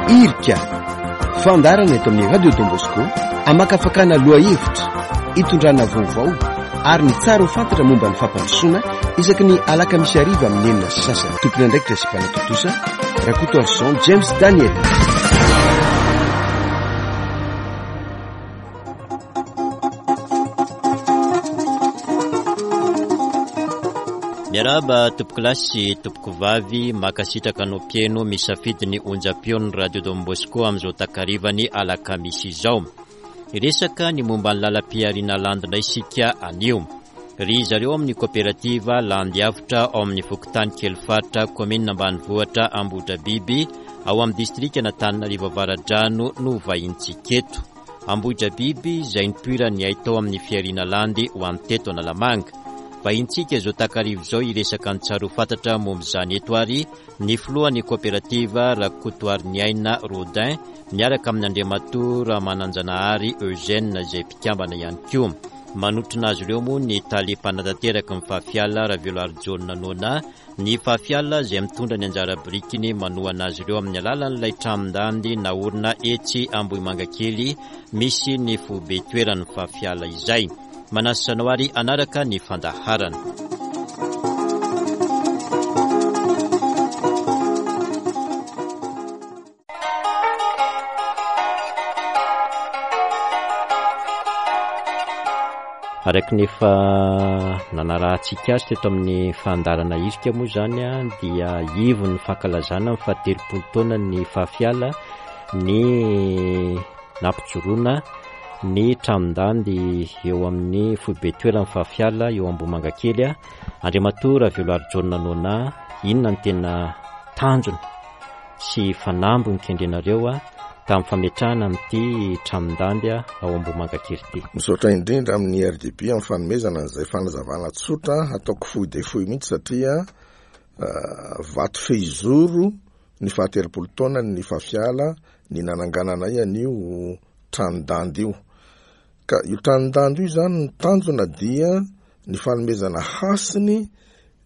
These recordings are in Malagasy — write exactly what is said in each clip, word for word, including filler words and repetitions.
Irika, fandaharana eto amin'ny Radio Don Bosco, amakafakana lohahevitra, itondrana vaovao ary ny tsara ho fantatra momba ny fampandrosoana isaky ny alakamisy hariva amin'ny enina sy sasany. Tompon'andraikitra sy mpanatontosa Rakotoarison James Daniel. Miarahaba tompokolahy sy tompokovavy, mankasitraka anao mpihaino misafidy ny onjam-peon'ny Radio Don Bosco amin'izao takarivany alakamisy izao. Hiresaka ny momba ny lalam-pihariana landy indray isika anio. Ry zareo amin'ny koperativa Landy Avotra ao amin'ny fokontany Kelifaritra, kaominina ambanivohitra Ambohidrabiby, ao amin'ny distrikan'Antananarivo Avaradrano no vahintsika eto. Ambohidrabiby izay nipoiran'ny haitao amin'ny fihariana landy ho an'ny teto Analamanga. Vahintsika izao takarivo izao hiresaka ny tsara ho fantatra momba izany eto ary ny filohan'ny koperativa Rakotoariniaina Rodin miaraka amin'ny Andriamatoa Ramananjanahary Eugène izay mpikambana ihany koa. Manotrona azy ireo moa ny tale mpanatanteraka ny Fafiala Raveloarijaona Nona, ny Fafiala izay mitondra ny anjara birikiny manohana azy ireo amin'ny alalan'ilay tranon-dandy naorina etsy Ambohimangakely misy ny foibe toeran'ny Fafiala izay. Manasa anao ary hanaraka ny fandaharana. Araka ny efa nanarahantsika azy teto amin'ny fandaharana irika moa izany dia ivon'ny fankalazana ny fahatelopolo taona ny Fafiala ny nampijoroana ny tranon-dandy eo amin'ny foibe toeran'ny Fafiala eo Ambohimangakely. Andriamatoa Raveloarijaona Nona, inona ny tena tanjona sy fanamby nikendrenareo tamin'ny fametrahana amin'ity tranon-dandy ao Ambohimangakely ity? Misaotra indrindra amin'ny R D B amin'ny fanomezana an'izay fanazavana tsotra, ataoko fohy dia fohy mihitsy satria vato fehizoro ny fahatelopolo taona ny Fafiala ny nanangananay an'io tranon-dandy io. Ka io tranon-dandy io izany ny tanjona dia ny fanomezana hasiny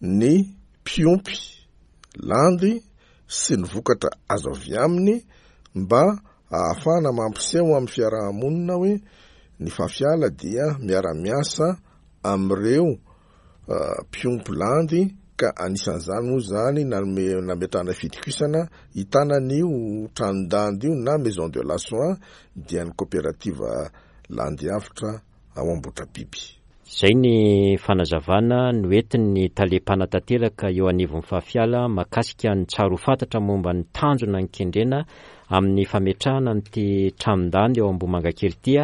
ny mpiompy landy sy ny vokatra azo avy aminy mba ahafahana mampiseho amin'ny fiarahamonina hoe ny Fafiala dia miara-miasa amin'ireo mpiompy landy, ka anisan'izany moa izany nanome nametrahana fitokisana hitanan'io tranon-dandy io na maison de la soie dia ny koperativa Landy Avotra ao Ambohidrabiby. Izay ny fanazavana noentin'ny tale mpanatanteraka eo anivon'ny Fafiala mahakasika ny tsara ho fantatra momba ny tanjona nikendrena amin'ny fametrahana an'ity tranon-dandy eo Ambohimangakely ity,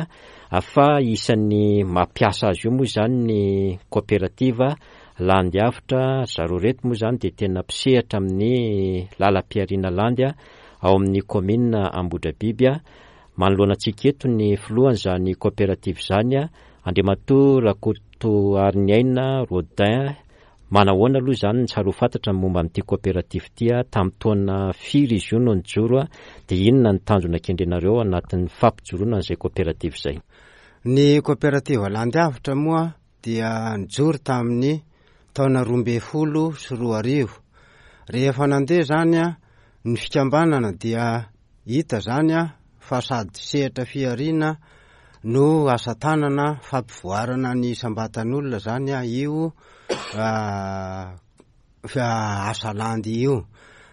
fa isan'ny mampiasa azy io moa izany ny koperativa Landy Avotra. Zareo reto moa izany dia tena mpisehatra amin'ny lalam-pihariana landy ao amin'ny kaominina Ambohidrabiby. Manoloana antsika eto ny filohan'izany koperativa izany, Andriamatoa Rakotoariniaina Rodin. Manahoana aloha izany ny tsara ho fantatra momba an'ity koperativa ity? Tamin'ny taona firy izy io no nijoro, dia inona ny tanjona kendrenareo anatin'ny fampijoroana an'izay koperativa izay? Ny koperativa Landy Avotra moa dia nijoro tamin'ny taona roa ambin'ny folo sy roa arivo. Rehefa nandeha izany ny fikambanana dia hita izany fa sady sehatra fihariana no asa tanana fampivoarana ny isam-batan'olona izany io asa landy io.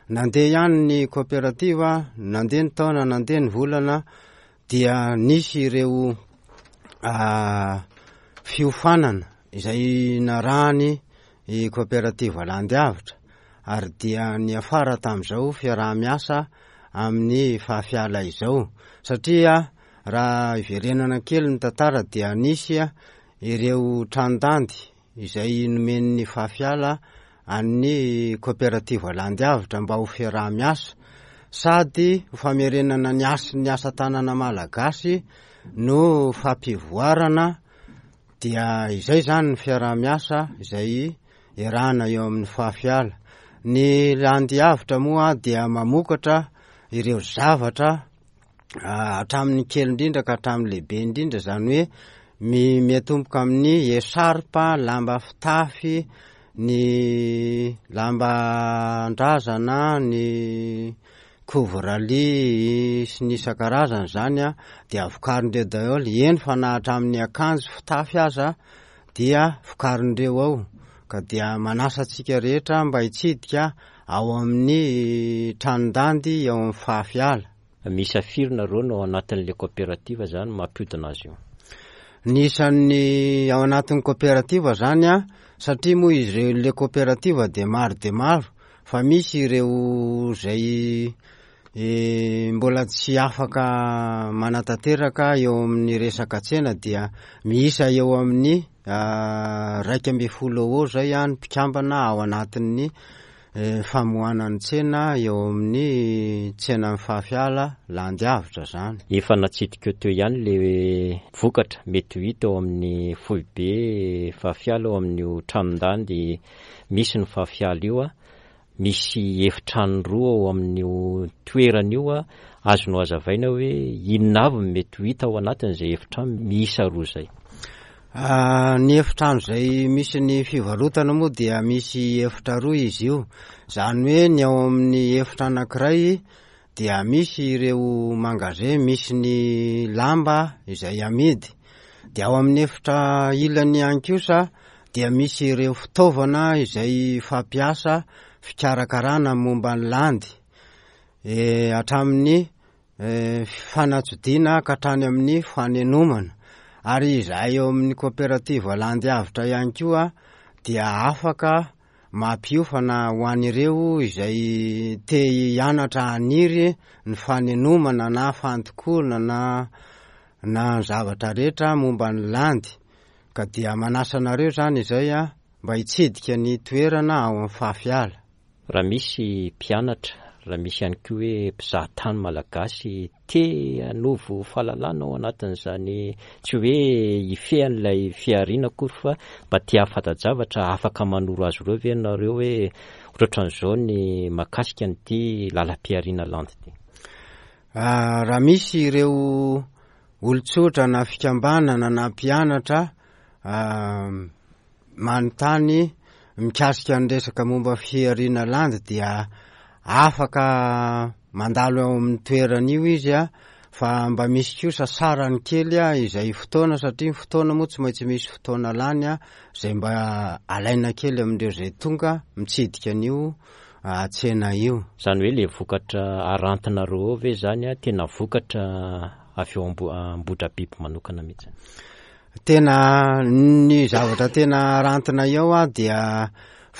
Nandeha ihany ny koperativa, nandeha ny taona, nandeha ny volana, dia nisy ireo fiofanana izay narahany i koperativa Landy Avotra, ary dia niafara tamin'izao fiaraha-miasa amin'ny Fafiala izao. Satria raha iverenana kely ny tantara dia nisy ireo tranon-dandy izay nomen'ny Fafiala an'ny koperativa Landy Avotra mba ho fiaraha-miasa sady ho famerenana ny hasin'ny asa tanana malagasy no fampivoarana. Dia izay izany ny fiaraha-miasa izay iarahana eo amin'ny Fafiala. Ny Landy Avotra moa dia mamokatra ireo zavatra hatramin'ny kely indrindra ka hatramin'ny lehibe indrindra, izany hoe mi-, miatomboka amin'ny esarpa, lamba fitafy, ny lamban-drazana, ny Couvre-lit sy ny isan-karazany zany a dia vokarindreo daholo, eny fa na hatramin'ny akanjo fitafy aza dia vokarindreo ao. Ka dia manasa antsika rehetra mba hitsidika ao amin'ny tranon-dandy ao amin'ny Fahafiala. Misy firy nareo no ao anatin'le coopérative zany mampiodina azy io? Ny isan'ny ao anatin'ny coopérative zany a, satria moa izy ireo le coopérative dia maro dia maro, fa misy ireo zay e, mbola tsy afaka manatanteraka eo amin'ny resaka tsena dia miisa eo amin'ny raika ambin'ny folo eo zay a ny mpikambana ao anatin'ny e, famohanany tsena eo amin'ny tsenan'ny Fahafiala Landy Avotra zany. Efa natsidika teo ihany le vokatra mety ho hita ao amin'ny foibe Fahafiala ao amin'io tranon-dandy misy ny Fahafiala io a. Misy efitrano roa ao amin'io toerana io a, azonao hazavaina hoe inona avy no mety ho hita ao anatin'izay efitrano miisa roa izay? Ah, ny efitrano izay misy ny fivarotana moa dia misy efitra roa izy io. Zany hoe ny ao amin'ny efitra anankiray dia misy ireo magasin misy ny lamba izay amidy. Dia ao amin'ny efitra ilany ihany kosa dia misy ireo fitaovana izay fampiasa fikarakarana momba ny landy. E, hatramin'ny e, fanatsodiana ka hatrany amin'ny fanenomana. Ary izahay eo amin'ny coopérative Landy Avotra ihany koa dia afaka mampiofana ho an'ireo izay te hianatra haniry ny fanenomana na fandokoana na na zavatra rehetra momba ny landy. Ka dia manasa anareo zany izay a mba hitsidika ny toerana ao amin'ny Fahafiala. Raha misy mpianatra, raha misy ihany koa hoe mpizahatany malagasy te hanovo fahalalana ao anatin'izany, tsy hoe hifehy an'ilay fihariana akory fa mba te hahafanta-javatra, afaka manoro azy ireo ve nareo hoe ohatrohatran'izao ny mahakasika an'ity lalam-pihariana landy ity? Ah, raha misy ireo olon-tsotra na fikambanana na mpianatra ah, manontany mikasika ny resaka momba fihariana landy dia afaka mandalo ao amin'ny toerana io izy a, fa mba misy kosa sarany kely a izay fotoana, satria ny fotoana moa tsy maintsy misy fotoana lany a, izay mba alaina kely amin'ireo izay tonga mitsidika an'io tsena io. Zany hoe le vokatra arantinareo ao ve zany a tena vokatra avy eo Ambo-, Ambohidrabiby manokana mihitsy? Tena ny zavatra tena arantina eo a dia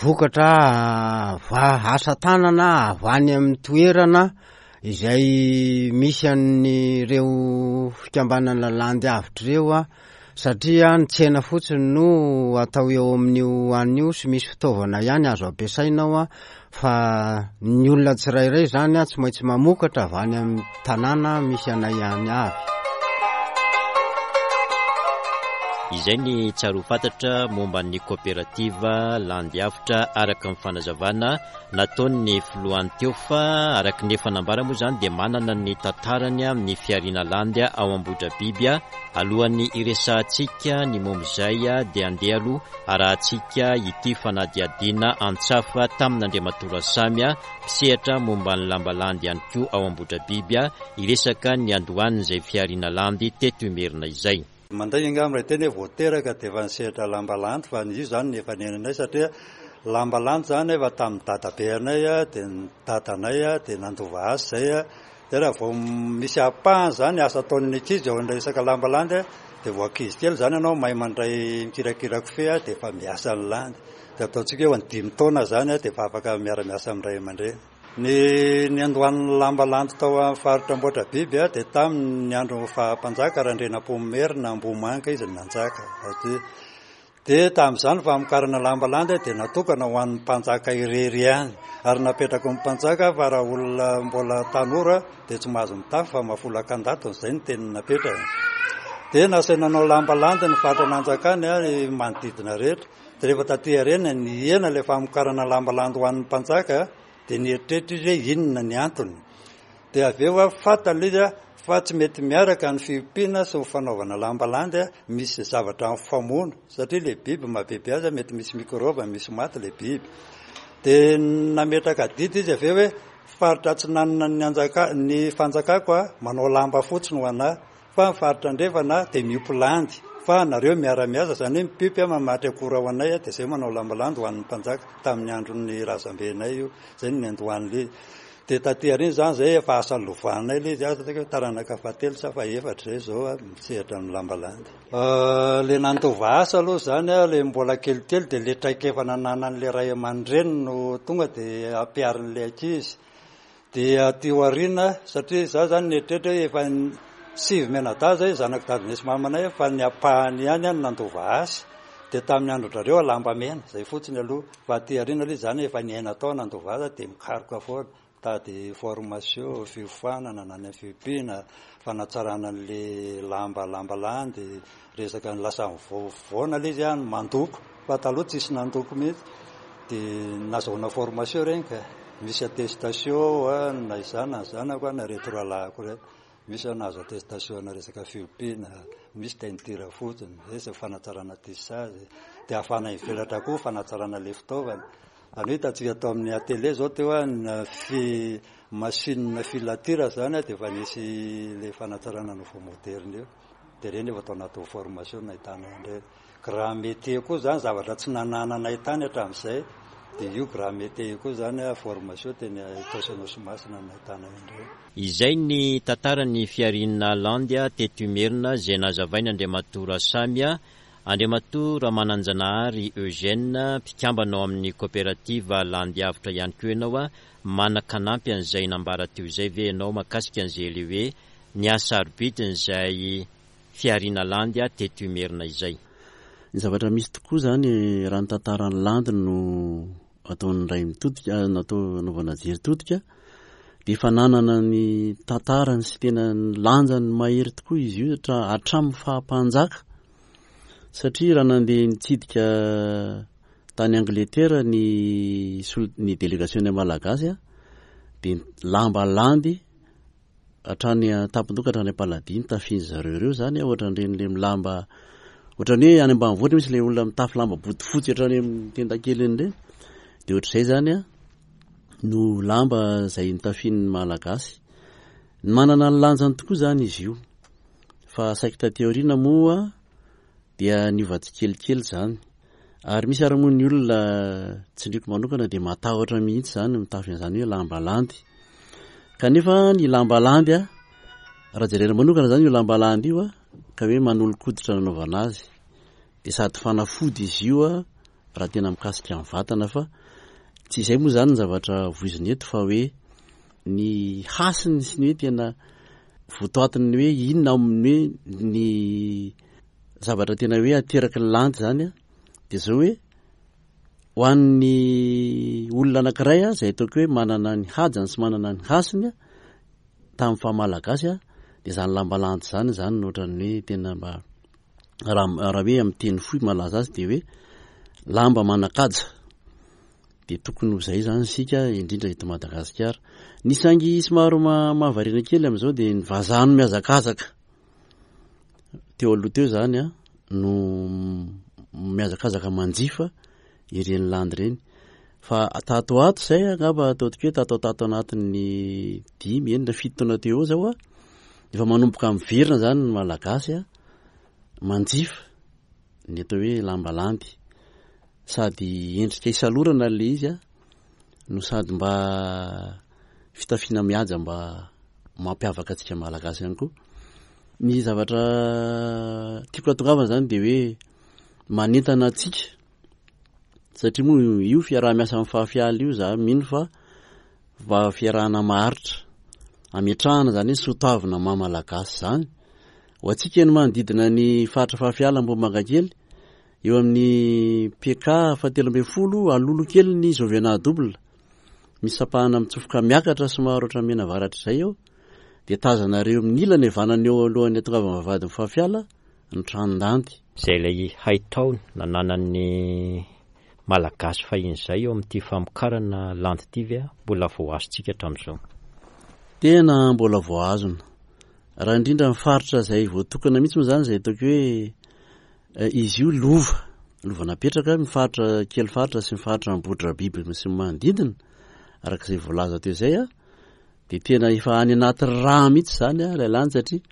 vokatra va asa tanana avy any amin'ny toerana izay misy an'ireo fikambanana Landy Avotra ireo a, satria ny tsena fotsiny no atao eo amin'io an'io sy misy fitaovana ihany azo ampiasaina ao a, fa ny olona tsirairay zany a tsy maintsy mamokatra avy any amin'ny tanàna misy anay ihany avy. Izay ny tsara ho fantatra momba ny coopérative Landy Avotra araka ny fanazavana nataon'ny filohany teo, fa araka ny efa nambara moa zany dia manana ny tantarany amin'ny fihariana landy ao Ambohidrabiby. Alohan'ny hiresahantsika ny momba izay dia andeha aloha arahantsika ity fanadihadiana antsafa tamin'Andriamatoa Rasamy mpisehatra momba ny lamba landy ihany koa ao Ambohidrabiby, hiresaka ny andohan'izay fihariana landy teto Imerina izay. Manday angamba raha teny hoe voateraka dia efa nisehatra lamba landy, fa io zany ny efa niainanay, satria lamba landy zany efa tamin'ny dadabeanay a, dia ny dadanay a, dia nandova azy zay a. Dia raha vao misy ampahany zany asa ataon'ny ankizy eo amin'ny resaka lamba landy a, dia vao ankizy kely zany ianao mahay mandray mikirakira kofehy a, dia efa miasa ny landy. Dia ataontsika hoe any dimy taona zany a, dia efa afaka miara-miasa amin'ny ray aman-dreny. Ny niandohan'ny lamba landy tao amin'ny faritra Ambohidrabiby a, dia tamin'ny andro faha-mpanjaka Randrianampoinimerina Ambohimanga izy no nanjaka. Dia tamin'izany famokarana lamba landy dia natokana ho an'ny mpanjaka irery ihany, ary napetraka ny mpanjaka fa raha olona mbola tanora dia tsy mahazo mitafy fa mahafolaka an-datony, izay no teny napetrany. Dia nasaina nanao lamba landy ny faritra nanjakany a, ny manodidina rehetra. Dia rehefa taty aoriana nihena ilay famokarana lamba landy ho an'ny mpanjaka, dia nieritreritra izy hoe inona ny antony. Dia avy eo a, fantany izy a, fa tsy mety miaraka ny fiompiana sy ny fanaovana lamba landy a, misy zavatra mifamono, satria ilay biby mahabiby azy a, mety misy mikrôba, misy maty ilay biby. Dia nametraka adidy izy avy eo hoe faritra atsinanana ny anjaka ny fanjakako a manao lamba fotsiny ho anahy, fa ny faritra andrefana dia miompy landy, fa nareo miara-miasa, izany hoe mipiompy a mamatry akora ho anay a, dia izay manao lamba landy ho an'ny mpanjaka tamin'ny andron'ny razambenay io, izay no niandohan'ilay izy. Dia taty aoriana izany izay efa asa lovanay ilay izy, asa hoe taranaka fahatelo sa fahefatra izay izao a misehatra amin'ny lamba landy. Ilay nandova asa aloha izany a, ilay mbola kelikely dia ilay traikefa nananan'ilay ray aman-dreny no tonga dia ampiharin'ilay ankizy. Dia aty aoriana, satria izaho izany nieritreritra hoe efa sivy mianadahy izay zanak'i dadinay sy mamanay, fa ny ampahany ihany no nandova asa. Dia tamin'ny andron-drareo lamba mena, izay fotsiny aloha. Fa aty aoriana aloha izany efa niaina tao nandova asa dia mikaroka foana. Mitady formation, fiofanana na ny fiompiana, fanatsarana an'ilay lamba lamba landy, resaka ny lasa mivoavoana ilay izy ny mandoko, fa taloha tsisy nandoko mihitsy. Dia nazahoana formation ireny ka misy attestation na izaho na ny zanako na ireto rahalahiko ireto. Misy nahazo attestation na resaka fiompiana, misy teinture fotsiny, resaka fanatsarana tissage, dia ahafahana mivelatra koa fanatsarana ilay fitaovana. Izany hoe hitantsika tao amin'ny atelier izao teo a, fi machine filature izany dia efa nisy ilay fanatsarana nouveau moderne io. Dia ireny efa tao anatin'ny formation nahitana an'ireny. Grand métier koa izany zavatra tsy nanananay tany hatramin'izay, dia io grand métier io koa izany formation teny Itaosy Anosimasina no nahitana an'ireny. Izay ny tantaran'ny fihariana landy teto Imerina izay nazavain' Andriamatoa Rasamy, Andriamatoa Ramananjanahary Eugène, mpikambana ao amin'ny coopérative Landy Avotra ihany koa ianao, manan-kanampy an'izay nambara teo izay ve ianao mahakasika an'izay ilay hoe ny hasarobidin'izay fihariana landy teto Imerina izay? Ny zavatra misy tokoa izany raha ny tantaran'ny landy no ataon'ny ray mitodika, natao anaovana jery todika, dia efa nanana ny tantarany sy tena ny lanjany mahery tokoa izy io hatra-, hatramin'ny faha-mpanjaka. Satria raha nandeha nitsidika tany Angleterre ny sol-, ny délégation malagasy a, dia lamba landy hatrany an-tampon-doha hatrany am-paladia nitafian'ny zareo ireo izany, ohatran'ireny le milamba, ohatran'ny hoe any ambanivohitra misy le olona mitafy lamba bodofotsy hatrany amin'ny tendakeliny ireny, dia ohatr'izay izany a no lamba izay nitafian'ny malagasy. Manana ny lanjany tokoa izany izy io, fa saiky taty aoriana moa dia niova tsikelikely izany. Ary misy ary moa ny olona tsindriko manokana dia matahotra mihitsy izany mitafy an'izany hoe lamba landy. Kanefa ny lamba landy a, raha jerena manokana izany io lamba landy io a, ka hoe manolo-koditra nanaovana azy, dia sady fanafody izy io a raha tena mikasika amin'ny vatana, fa tsy izay moa izany ny zavatra voizina eto, fa hoe ny hasiny sy ny hoe tena votoatiny hoe inona amin'ny hoe ny zavatra tena hoe ateraky ny landy izany a, dia izao hoe ho an'ny olona anankiray a, izay ataoko hoe manana ny hajany sy manana ny hasiny a, tamin'ny faha malagasy a, dia izany lamba landy izany izany no ohatran'ny hoe tena mba raha, raha hoe amin'ny teny fohy malaza azy dia hoe lamba manan-kaja. Dia tokony ho izay izany isika, indrindra eto Madagasikara. Ny saingy somary ma-, mahavariana kely amin'izao dia ny vazaha no mihazakazaka. Teo aloha teo izany a, no mihazakazaka manjifa ireny landy ireny. Fa tato ato izay, angamba ataontsika hoe tato tato anatin'ny dimy, enina, fito taona teo eo izao a, efa manomboka miverina izany ny malagasy a, manjifa ny atao hoe lamba landy. Sady endrika isalorana ilay izy a, no sady mba fitafiana mihaja mba mampiavaka antsika malagasy ihany koa. Ny zavatra tiako hatongavana izany dia hoe manentana antsika, satria moa io fiaraha-miasa amin'ny fahafiala io, za mino fa mba fiarahana maharitra, ametrahana izany hoe soatoavina maha malagasy izany. Ho antsika ny manodidina ny faritra Fahafiala Ambohimangakely, eo amin'ny P K fahatelo ambin'ny folo, alolo kely ny Jovena double, misy sampahana mitsofoka miakatra somary ohatran'ny mianavaratra izay eo, dia tazanareo amin'ny ilany havanana eo alohan'ny hatongavan'ny vavahadin'ny Fahafiala ny tranon-dandy. Izay ilay haitao nananan'ny malagasy fahiny izay eo amin'ity famokarana landy ity ve mbola voahazontsika hatramin'izao? Tena mbola voahazona. Raha indrindra ny faritra izay voatokana mihitsy moa izany, izay ataoko hoe, eh, izy io lova, lova napetraka ny faritra kely faritra sy ny faritra Ambohidrabiby sy ny manodidina, araka izay voalaza teo izay a, De tena efa any anaty rà mihitsy zany a ilay landy satria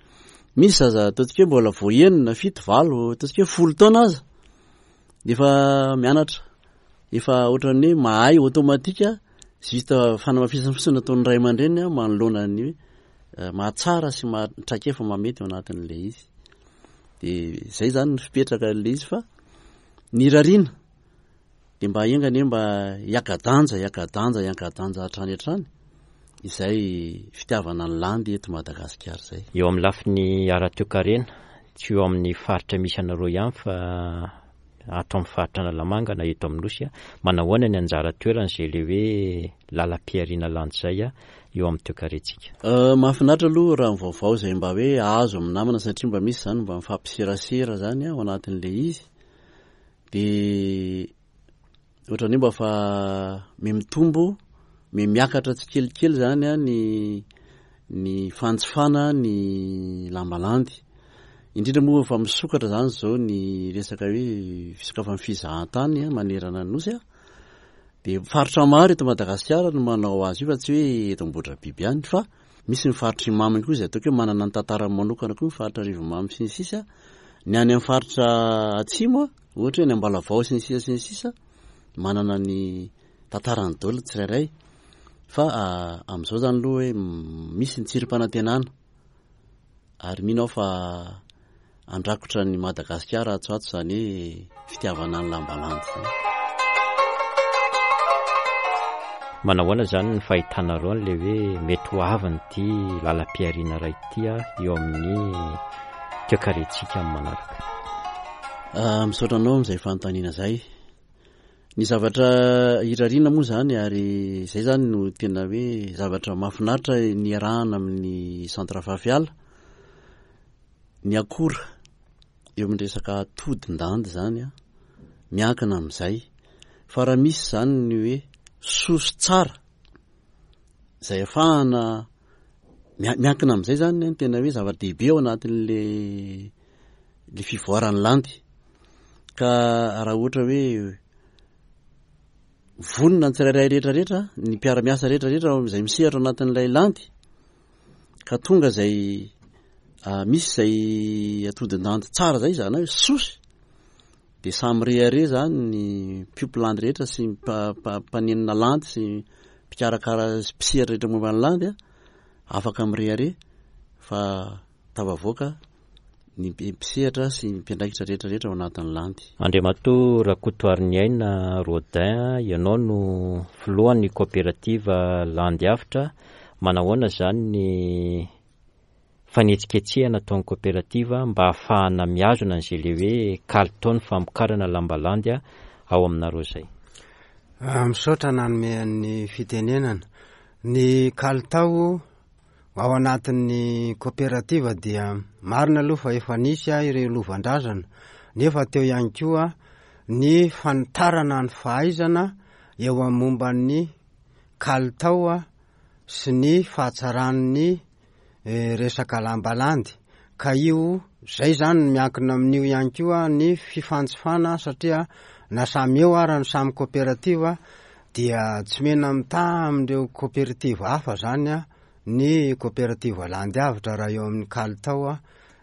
misy zaza ataontsika hoe mbola vao enina, fito, valo, ataontsika hoe folo taona aza de efa mianatra, efa ohatran'ny hoe mahay automatique, juste fanamafisana fotsiny nataon'ny ray aman-dreny manoloana ny hoe mahatsara sy maha traikefa mahamety ao anatin'ilay izy. De zay zany ny fipetraka an'ilay izy fa ny rariana dia mba enga anie mba hiaka-danja, hiaka-danja, hiaka-danja hatrany hatrany izay fitiavana ny landy eto Madagasikara izay. Eo amin'ny lafiny ara-toekarena, tsy eo amin'ny faritra misy anareo ihany fa ato amin'ny faritra Analamanga na eto amin'ny Nosy, manahoana ny anjara toeran'izay ilay hoe lalam-pihariana landy izay eo amin'ny toekarentsika? Mahafinaritra aloha raha ny vaovao izay mba hoe azo amin'ny namana satria mba misy izany mba mifampiserasera izany ao anatin'ilay izy. Dia ohatran'ny hoe mba fa mihamitombo, mihamiakatra tsikelikely izany an ny ny fanjifana ny lamba landy. Indrindra moa fa misokatra izany izao ny resaka hoe fisokafan'ny fizahantany manerana ny Nosy an. Dia faritra maro eto Madagasikara no manao azy io fa tsy hoe eto Ambohidrabiby ihany fa misy ny faritra Imamy koa izay ataoko hoe manana ny tantarany manokana koa ny faritra Arivonimamy sy ny sisa. Ny any amin'ny faritra atsimo, ohatra hoe any Ambalavao sy ny sisa sy ny sisa, manana ny tantarany daholo ny tsirairay. Fa amin'izao izany aloha hoe misy ny tsirim-panantenana ary mino aho fa handrakotra an'i Madagasikara atsy ho atsy izany hoe fitiavana ny lambalandy izany. Manahoana izany ny fahitanareo an'ilay hoe mety ho avin'ity lalam-pihariana iray ity eo amin'ny toekarentsika amin'ny manaraka? Misaotra anao amin'izay fanontaniana izay. Ny zavatra irariana moa izany ary izay izany no tena hoe zavatra mahafinaritra niarahana amin'ny Centre Fafiala, ny akora eo amin'ny resaka atodin-dandy izany an, miankina amin'izay. Fa raha misy izany ny hoe soso tsara izay ahafahana miankina amin'izay izany ny tena hoe zava-dehibe ao anatin'le le fivoaran'ny landy. Ka raha ohatra hoe vonona ny tsirairay rehetra rehetra, ny mpiara-miasa rehetra rehetra izay misehatra ao anatin'ilay landy, ka tonga izay misy izay atodin-dandy tsara izay, izany hoe sosy, dia samy rehareha izany ny mpiompy landy rehetra sy mpanenina landy sy mpikarakara sy mpisehatra rehetra momba ny landy, afaka mirehareha fa tafavoaka ny mpisehatra sy ny mpiandraikitra rehetra rehetra ao anatin'ny landy. Andriamatoa Rakotoariniaina Rodin, ianao no filohan'ny kaoperativa Landy Avotra. Manahoana izany ny fanetsiketsehana ataon'ny kaoperativa mba hahafahana mihazona an'izay ilay hoe kalitaon'ny famokarana lamba landy ao aminareo izay? Misaotra nanome ny fitenenana. Ny kalitao ao anatin'ny kaoperativa dia marina aloha fa efa nisy ireo lovan-drazana, nefa teo ihany koa ny fanitarana ny fahaizana eo amin'ny momba ny kalitao sy ny fahatsaran'ny resaka lambalandy. Ka io zay zany no miankina amin'io ihany koa ny fifanjifana, satria na samy eo ara ny samy kaoperativa dia tsy mena mitaha amin'ireo kaoperativa hafa zany a ny kaoperativa landy avotra raha eo amin'ny kalitao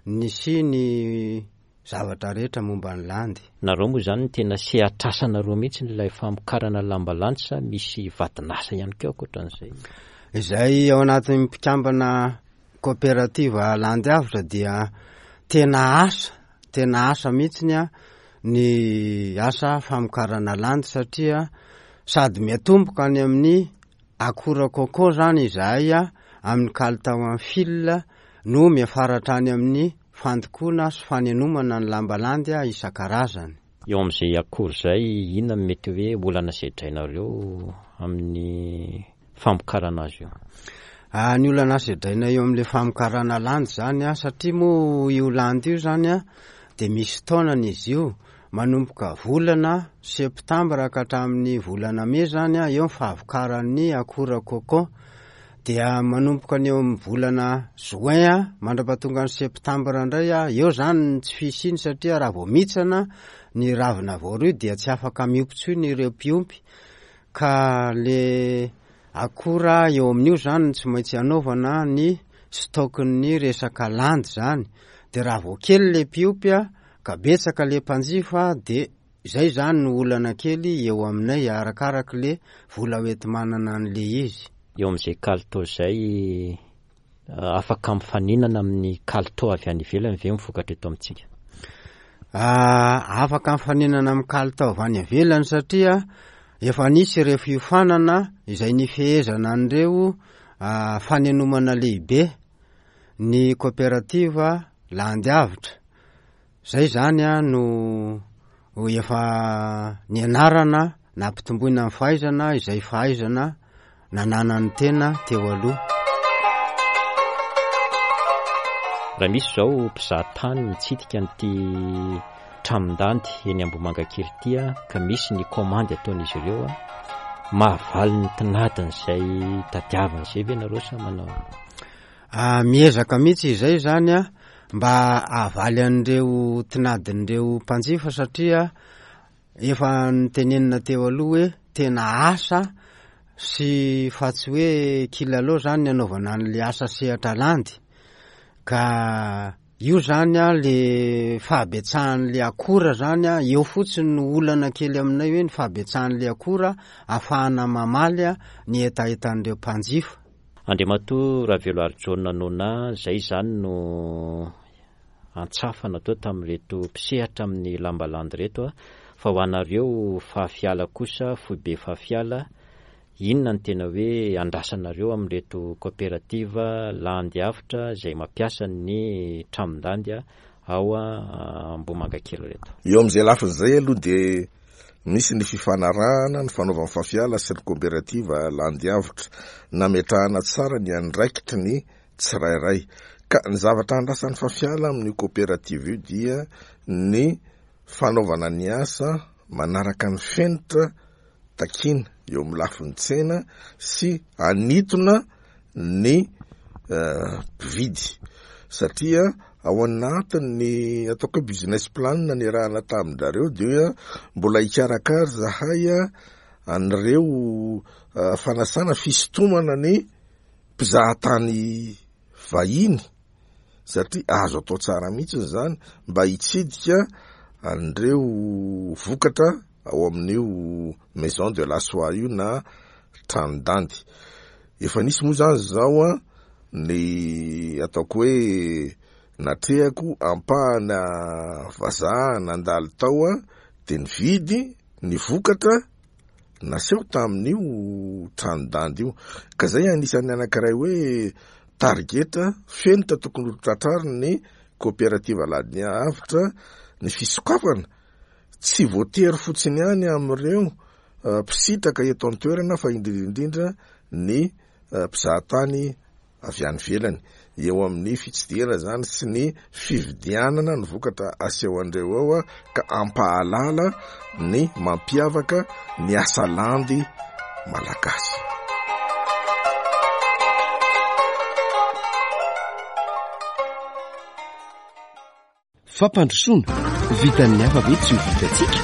ny sy ny zavatra rehetra momba ny landy. Nareo moa zany ny tena sehatrasanareo mihitsy ilay famokarana lamba landy sa misy vadinasa ihany koa ankoatran'izay? Izay ao anatin'ny mpikambana kaoperativa landy avotra dia tena asa, tena asa mihitsy a ny asa famokarana landy, satria sady miatomboka any amin'ny akora coco zany izahay a amin'ny kalitao amin'ny fil no miafaratra any amin'ny fandokoana sy fanenomana ny lamba landy a isan-karazany. Eo amin'izay akora izay, inona no mety hoe olana sedrainareo amin'ny famokarana azy io? Ah, ny olana sedraina eo amin'ilay famokarana landy zany a, satria moa io landy io zany a dia misy taonany izy io, manomboka volana septambra ka hatramin'ny volana mey zany a, eo ny fahavokaran'ny akora coco, dia manomboka ny eo amin'ny volana juin a mandra-pahatonga ny septambra indray a, eo zany ny tsy fisiany, satria raha vao mihitsana ny ravina voaroy dia tsy afaka miompy intsony ireo mpiompy, ka le akora eo amin'io zany no tsy maintsy anaovana ny stock-n'ny resaka landy zany. De raha vao kely le mpiompy a, ka betsaka le mpanjifa, de zay zany no olana kely eo aminay arakaraky le vola hoenti-manana an'le izy. Eo amin'izay kalitao izay, afaka mifaninana amin'ny kalitao avy any ivelany ve ny vokatra eto amintsika? Ah, afaka mifaninana amin'ny kalitao avy any ivelany satria efa nisy ireo fiofanana izay nifehezana an'ireo, ah, fanenomana lehibe ny kooperativa Landy Avotra. Zay zany a no efa nianarana nampitomboina ny fahaizana izay fahaizana nananan'ny tena teo aloha. Raha misy izao mpizahatany mitsidika an'ity tranon-dandy eny Ambohimangakely ity a, ka misy ny komandy ataon'izy ireo a, mahavaly ny tinadin'izay tadiaviny izay ve nareo sa manao? Ah, miezaka mihitsy izay zany a, mba hahavaly an'ireo tinadin'ireo mpanjifa satria efa nitenenina teo aloha hoe tena asa sy fa tsy hoe kilalao zany ny anaovana an'le asa sehatra landy. Ka io zany a le fahabetsahan'le akora zany a, eo fotsiny no olana kely aminay hoe ny fahabetsahan'le akora ahafahana mamaly a ny hetahetan'ireo mpanjifa. Andriamatoa Raveloarijaona Nona, zay zany no antsafa natao tamin'ireto mpisehatra amin'ny lambalandy ireto a, fa ho anareo Fafiala kosa, foibe Fafiala, inona ny tena hoe andrasanareo amin'ireto kooperativa Landy Avotra izay mampiasa ny tranon-dandy ao Ambohimangakely ireto? Eo amin'izay lafiny izay aloha dia misy ny fifanarahana ny fanaovan'ny Fafiala sy ny kooperativa Landy Avotra, nametrahana tsara ny andraikitry ny tsirairay. Ka ny zavatra andrasan'ny Fafiala amin'io kooperativa io dia ny fanaovana ny asa manaraka ny fenitra takiana eo amin'ny lafiny tsena sy anitona ny, eh, mpividy, satria ao anatin'ny ataoko hoe business plan niarahana tamin-drareo dia mbola hikarakara zahay an'ireo, eh, fanasana fisintomana ny mpizahatany vahiny, satria azo atao tsara mihitsy zany mba hitsidika an'ireo vokatra ao amin'io maison de la soie io na tranon-dandy. Efa nisy moa zany zao a ny ataoko hoe natrehako ampahana vazaha nandalo tao a, de nividy ny vokatra naseho tamin'io tranon-dandy io. Ka zay anisan'ny anankiray hoe targeta fenitra tokony ho tratrariny ny kooperativa Landy Avotra ny fisokafana. Tsy voatery fotsiny ihany amin'ireo, eh, mpisitraka eto an-toerana fa indrindra indrindra ny, eh, mpizahatany avy any ivelany. Eo amin'ny fitsidihana zany sy ny fividianana ny vokatra aseho andreo ao a, ka ampahalala ny mampiavaka ny asa landy malagasy. Fampandrosoana vitan'ny hafa ve tsy ho vitantsika?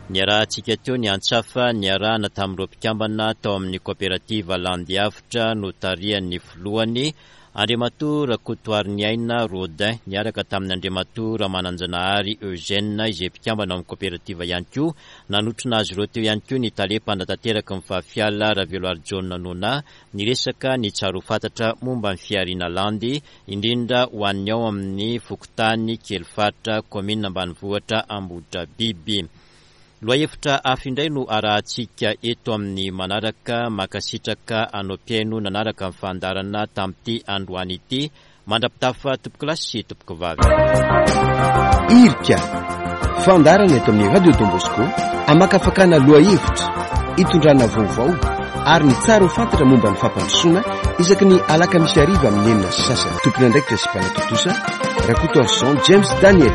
Niarahantsika teo ny antsafa niarahana tamin'ireo mpikambana tao amin'ny kooperativa Landy Avotra notarihan'ny filohany Andriamatoa Rakotoariniaina Rodin, niaraka tamin'ny Andriamatoa Ramananjanahary Eugène izay mpikambana ao amin'ny kooperativa ihany koa. Nanotrona azy ireo teo ihany koa ny tale mpanatanteraka ny Fafiala Raveloarijaona Nona, niresaka ny tsara ho fantatra momba ny fihariana landy, indrindra ho an'ny ao amin'ny fokontany Kelifaritra, kaominina ambanivohitra Ambohidrabiby. Lohahevitra hafa indray no arahantsika eto amin'ny manaraka. Mankasitraka anao mpihaino nanaraka ny fandaharana tamin'ity androany ity. Mandra-pitafa tompokolahy sy tompokovavy. Irika, fandaharana eto amin'ny Radio Don Bosco, amakafakana lohahevitra, itondrana vaovao ary ny tsara ho fantatra momba ny fampandrosoana isaky ny alakamisy hariva amin'ny enina sy sasany. Tompon'andraikitra sy mpanatontosa Rakotoarison James Daniel.